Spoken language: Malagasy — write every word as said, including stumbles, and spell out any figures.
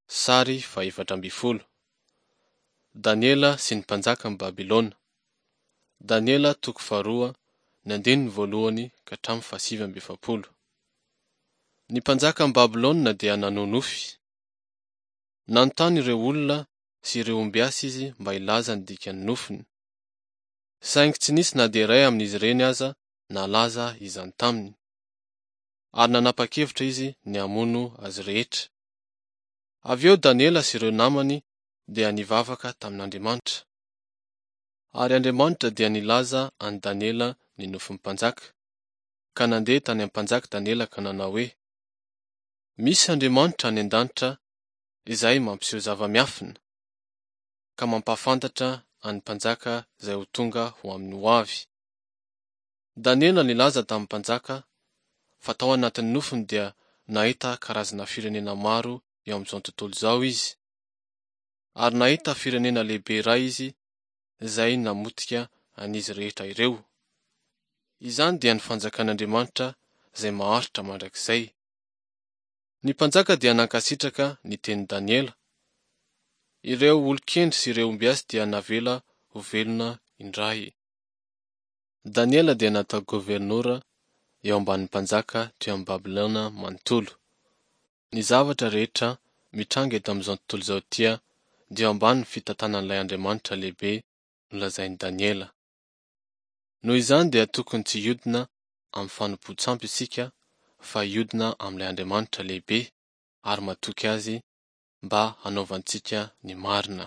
Sary fahefatra ambin'ny folo. Daniela sy ny mpanjakan'i Babylona. Daniela toko faharoa, ny andininy voalohany ka hatramin'ny fahasivy amby efapolo. Ny mpanjakan'i Babylona dia nanonofy. Nanontany ireo olona sy ireo ombiasy izy mba hilaza ny dikan'ny nofiny. Saingy tsy nisy na dia iray amin'izy ireny aza nahalaza izany taminy. Ary nanapa-kevitra izy ny hamono azy rehetra. Avy eo Daniela sy ireo namany dia nivavaka tamin'Andriamanitra. Ary Andriamanitra dia nilaza an'i Daniela ny nofin'ny mpanjaka, ka nandeha tany amin'ny mpanjaka Daniela ka nanao hoe, Misy Andriamanitra any an-danitra izay mampiseho zava-miafina, ka mampahafantatra an'ny mpanjaka izay ho tonga ho amin'ny hoavy. Daniela nilaza tamin'ny mpanjaka fa tao anatin'ny nofiny dia nahita karazana firenena maro eo amin'izao tontolo izao izy, ary nahita firenena lehibe iray izy izay namotika an'izy rehetra ireo. Izany dia ny fanjakan'Andriamanitra izay maharitra mandrakizay. Ny mpanjaka dia nankasitraka ny tenin'i Daniela. Ireo olon-kendry sy ireo ombiasy dia navela ho velona indray. Daniela dia natao governora eo ambanin'ny mpanjaka teo amin'i Babylona manontolo. Ny zavatra rehetra mitranga eto amin'izao tontolo izao ity dia eo ambanin'ny fitantanan'ilay Andriamanitra lehibe nolazain'i Daniela. Noho izany dia tokony tsy hiodina amin'ny fanompoan-tsampy isika fa hiodina amin'ilay Andriamanitra lehibe ary matoky Azy mba hanaovantsika ny marina.